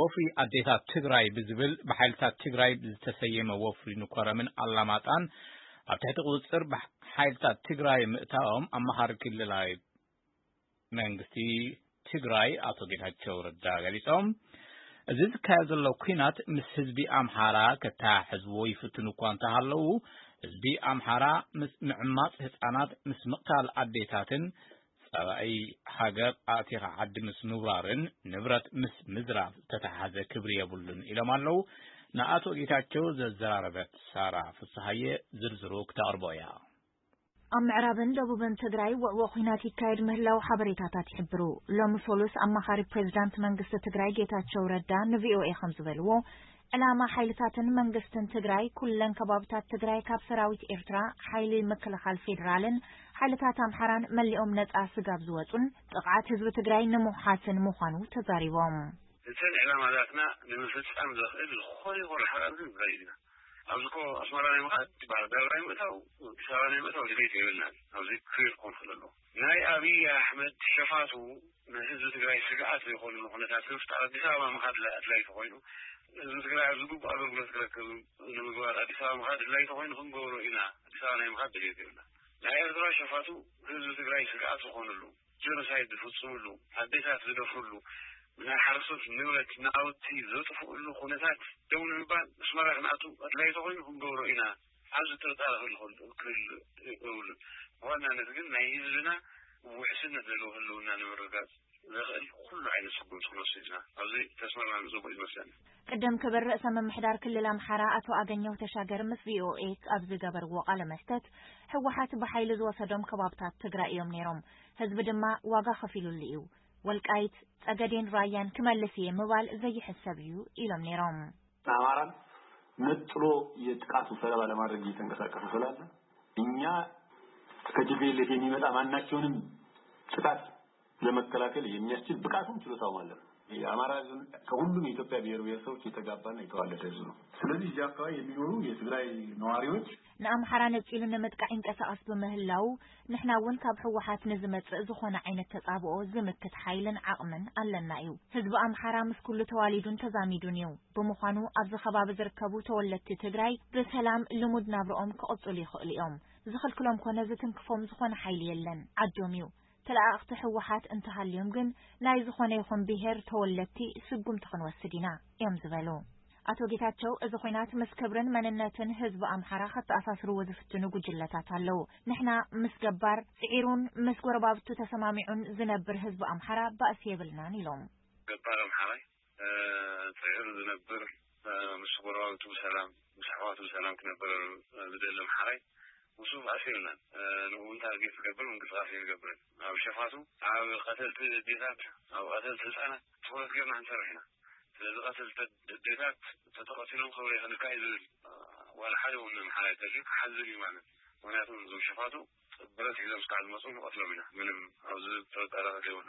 ወፍሪ ኣዴታት ትግራይ ብዝብል ብሓይልታት ትግራይ ዝተሰየመ ወፍሪ ንኮረምን ኣላማጣን ኣብ ትሕቲ ቁፅፅር ሓይልታት ትግራይ ምእታዎም ኣመኻሪ ክልላዊ መንግስቲ ትግራይ ኣቶ ጌታቸው ረዳ ገሊፆም። እዚ ዝካየድ ዘሎ ኲናት ምስ ህዝቢ ኣምሓራ ከተሓሕዝዎ ይፍትኑ እኳ እንተሃለዉ፣ ህዝቢ ኣምሓራ ምስ ምዕማፅ ህፃናት፣ ምስ ምቕታል ኣዴታትን ፀባኢ ሃገር ኣእቲኻ ዓዲ ምስ ምውራርን ንብረት ምስ ምዝራፍ ዝተተሓዘ ክብሪ የብሉን ኢሎም ኣለዉ። ንኣቶ ጌታቸው ዘዘራረበት ሳራ ፍስሃየ ዝርዝሩ ክተቕርቦ እያ። ኣብ ምዕራብን ደቡብን ትግራይ ውዕዎ ኲናት ይካየድ ምህላው ሓበሬታታት ይሕብሩ። ሎሚ ሶሉስ ኣማኻሪ ፕሬዚዳንት መንግስቲ ትግራይ ጌታቸው ረዳ ንቪኦኤ ከም ዝበልዎ፣ ዕላማ ሓይልታትን መንግስትን ትግራይ ኩለን ከባብታት ትግራይ ካብ ሰራዊት ኤርትራ፣ ሓይሊ ምክልኻል ፌዴራልን ሓይልታት ኣምሓራን መሊኦም ነጻ ስጋብ ዝወጹን ጥቕዓት ህዝቢ ትግራይ ንምውሓስን ምዃኑ ተዛሪቦም። እተን ዕላማታትና ንምፍጻም ዘኽእል ዝኾነ ይኹን ርሕቐት ግን ንኸይድ ኢና። ኣብዚ እኮ ኣስመራ ናይ ምኻድ፣ ባህር ዳር ናይ ምእታው፣ ኣዲስ ኣበባ ናይ ምእታው ድሌት የብልናን። ኣብዚ ክሊር ክኾን ክእል ኣለዎ። ናይ ኣብይ ኣሕመድ ሸፋቱ ንህዝቢ ትግራይ ስግኣት ዘይኮኑ ኩነታት ንምፍጣር ኣዲስ ኣበባ ምኻድ ኣድላይ ተኾይኑ፣ ህዝቢ ትግራይ ኣብ ዝግቡእ ኣገልግሎት ክረክብ ንምግባር ኣዲስ ኣበባ ምኻድ ኣድላይ ተኾይኑ ክንገብሮ ኢና። ኣዲስ ኣበባ ናይ ምኻድ ድሌት የብልና። ናይ ኤርትራ ሸፋቱ ህዝቢ ትግራይ ስግኣት ዝኾኑሉ፣ ጀኖሳይድ ዝፍጽሙሉ፣ ኣዴታት ዝደፍሩሉ፣ ናይ ሓረስቶት ንብረት ናውቲ ዘጥፍኡሉ ኩነታት ደው ንምባል ኣስመራ ክንኣቱ ኣድላይ ተኾይኑ ክንገብሮ ኢና። ኣብዚ ጥርጣረ ክህሉ ክህሉ የብሉን። ብዋናነት ግን ናይ ህዝብና ውሕስነት ዘለዎ ህልውና ንምርግጋጽ ዘኽእል ኩሉ ዓይነት ስጉምቲ ክንወስድ ኢና። ኣብዚ ተስማሚዕና ንጽቡቕ ይመስለኒ። ቅድም ክብል ርእሰ ምምሕዳር ክልል ኣምሓራ ኣቶ ኣገኘሁ ተሻገር ምስ ቪኦኤ ኣብ ዝገበርዎ ቃለ መሕተት፣ ህወሓት ብሓይሊ ዝወሰዶም ከባብታት ትግራይ እዮም ነይሮም፣ ህዝቢ ድማ ዋጋ ከፊሉሉ እዩ። ወልቃይት፣ ጸገዴን ራያን ክመልስ እየ ምባል ዘይሕሰብ እዩ ኢሎም ነይሮም። አማራን ነጥሎ የጥቃቱ ሰለባ ለማድረግ እየተንቀሳቀሰ ስላለ እኛ ከቲፒኤልኤፍ የሚመጣ ማናቸውንም ጥቃት ለመከላከል የሚያስችል ብቃቱም ችሎታውም አለን። የአማራ ህዝብ ከሁሉም የኢትዮጵያ ብሔር ብሔረሰቦች የተጋባና የተዋለደ ህዝብ ነው። ስለዚህ እዚህ አካባቢ የሚኖሩ የትግራይ ነዋሪዎች ንኣምሓራ ነጺሉ ንምጥቃዕ ይንቀሳቐስ ብምህላዉ፣ ንሕና እውን ካብ ህወሓት ንዝመጽእ ዝኾነ ዓይነት ተጻብኦ ዝምክት ሓይልን ዓቕምን ኣለና እዩ። ህዝቢ ኣምሓራ ምስ ኩሉ ተዋሊዱን ተዛሚዱን እዩ። ብምዃኑ ኣብዚ ከባቢ ዝርከቡ ተወለድቲ ትግራይ ብሰላም ልሙድ ናብርኦም ክቕጽሉ ይኽእሉ እዮም። ዝኽልክሎም ኮነ ዝትንክፎም ዝኾነ ሓይሊ የለን። ዓዶም እዩ። ተለኣኣኽቲ ህወሓት እንተሃልዮም ግን ናይ ዝኾነ ይኹን ብሄር ተወለድቲ ስጉምቲ ክንወስድ ኢና እዮም ዝበሉ። ኣቶ ጌታቸው፣ እዚ ኹናት ምስ ክብርን መንነትን ህዝቢ ኣምሓራ ከተኣሳስርዎ ዝፍትኑ ጉጅለታት ኣለዉ። ንሕና ምስ ገባር ጽዒሩን ምስ ጎረባብቱ ተሰማሚዑን ዝነብር ህዝቢ ኣምሓራ ባእሲ የብልናን ኢሎም። ገባር ኣምሓራይ፣ እ፣ ጽዒሩ ዝነብር፣ እ፣ ምስ ጎረባብቱ ብሰላም፣ ምስ ኣሕዋቱ ብሰላም ክነብር፣ እ፣ ዝደሊ ኣምሓራይ፣ ምስኡ ባእሲ የብልናን። እ፣ ንኡ እውን ታርጌት ዝገብር ምንቅስቃስ ኣይንገብርን። ኣብ ሸፋቱ፣ ኣብ ቀተልቲ ኣዴታት፣ ኣብ ቀተልቲ ህፃናት ትኹረት ጌርና ክንሰርሕ ኢና። ስለዚ ቀተልቲ ኣዴታት ተተቐቲሎም ክብረይ ክንካእ እዩ ዝብል፣ እ፣ ዋላ ሓደ እውን ኣምሓራይ እንተልዩ ክሓዝን እዩ ማለት እዩ። ምክንያቱ እዞም ሸፋቱ ብረት ሒዞም እስካዕ ዝመፁ ንቐትሎም ኢና። ምንም ኣብዚ ጥርጣረ ዘይብሉ።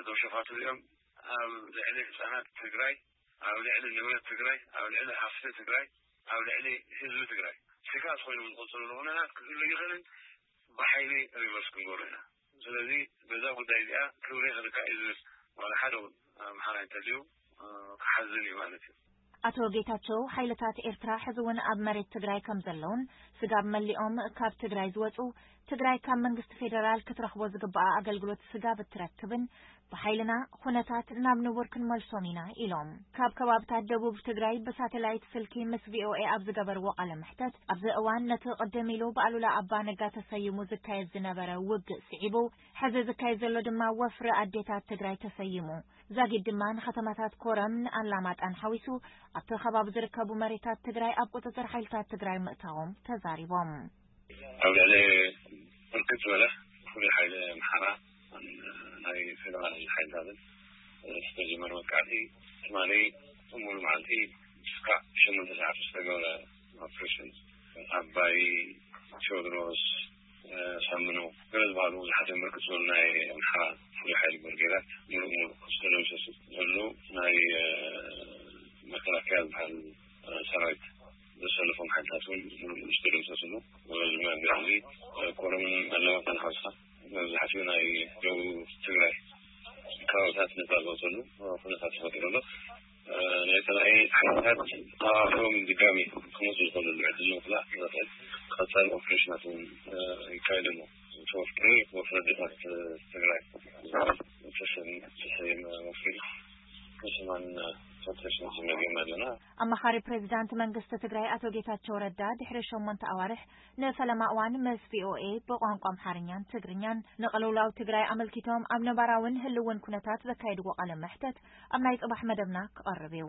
እዞም ሸፋቱ እዚኦም ኣብ ልዕሊ ህፃናት ትግራይ፣ ኣብ ልዕሊ ንብረት ትግራይ፣ ኣብ ልዕሊ ሃፍቲ ትግራይ፣ ኣብ ልዕሊ ህዝቢ ትግራይ ስግኣት ኮይኖም ዝቐፅሉ ኩነታት ክህሉ ይኽእልን ብሓይሊ ሪቨርስ ክንገብሮ ኢና። ስለዚ በዛ ጉዳይ እዚኣ ክብሪ ክንካእ እዩ ዝብል ዋላ ሓደ እውን ኣምሓራይ እንተልዩ፣ እ፣ ክሓዝን እዩ ማለት እዩ። ኣቶ ጌታቸው፣ ሓይልታት ኤርትራ ሕዚ እውን ኣብ መሬት ትግራይ ከም ዘለውን ስጋብ መሊኦም ካብ ትግራይ ዝወፁ ትግራይ ካብ መንግስቲ ፌደራል ክትረኽቦ ዝግባኣ ኣገልግሎት ስጋብ እትረክብን ብሓይልና ኩነታት ናብ ንቡር ክንመልሶም ኢና ኢሎም። ካብ ከባብታት ደቡብ ትግራይ ብሳተላይት ስልኪ ምስ ቪኦኤ ኣብ ዝገበርዎ ቃለ መሕተት፣ ኣብዚ እዋን ነቲ ቅድም ኢሉ ብኣሉላ ኣባ ነጋ ተሰይሙ ዝካየድ ዝነበረ ውግእ ስዒቡ፣ ሕዚ ዝካየድ ዘሎ ድማ ወፍሪ ኣዴታት ትግራይ ተሰይሙ። ዛጊድ ድማ ንከተማታት ኮረምን ኣላማጣን ሓዊሱ ኣብቲ ከባቢ ዝርከቡ መሬታት ትግራይ ኣብ ቁፅፅር ሓይልታት ትግራይ ምእታዎም ተዛሪቦም። ኣብ ልዕሊ ብርክት ዝበለ ፍሉይ ሓይሊ ኣምሓራ ናይ ፌደራል ሓይልታትን ዝተጀመረ መጥቃዕቲ ትማሊ ሙሉ መዓልቲ እስካዕ ሸሞንተ ሰዓት ዝተገብረ ኦፕሬሽን ዓባይ፣ ቴዎድሮስ፣ ሳምኖ ገለ ዝበሃሉ ብዙሓት እዮም። ብርክት ዝበሉ ናይ ኣምሓራ ፍሉይ ሓይሊ ብርጌዳት ሙሉእ ሙሉእ ዝተደምሰሱ፣ ዘሎ ናይ መከላከያ ዝበሃል ሰራዊት ዘሰለፎም ሓይልታት እውን ሙሉእ ሙሉእ ዝተደምሰስሉ። ብዚ ኮረምን ኣለማጣን ሓውስካ መብዛሕትኡ ናይ ደቡብ ትግራይ ከባብታት ነፃ ዝወፀሉ ኩነታት ተፈጢሩ ኣሎ። ኣቶም ድጋሚ ክመፁ ዝኽእሉ ዕድል ንምኽላእ ዝኽእል ቀፃሊ ኦፕሬሽናት እውን ይካየድ ኣሎ። ተወፍሪ ወፍሪ ኣዴታት ትግራይ ተሰም ተሰየመ ወፍሪ ንስማን ኦፕሬሽን ዝመገም ኣለና። ኣማኻሪ ፕሬዚዳንት መንግስቲ ትግራይ ኣቶ ጌታቸው ረዳ ድሕሪ ሸሞንተ ኣዋርሕ ንፈለማ እዋን ምስ ቪኦኤ ብቋንቋ ኣምሓርኛን ትግርኛን ንቅልውላው ትግራይ ኣመልኪቶም ኣብ ነባራውን ህልውን ኩነታት ዘካየድዎ ቃለ መሕተት ኣብ ናይ ጽባሕ መደብና ክቐርብ እዩ።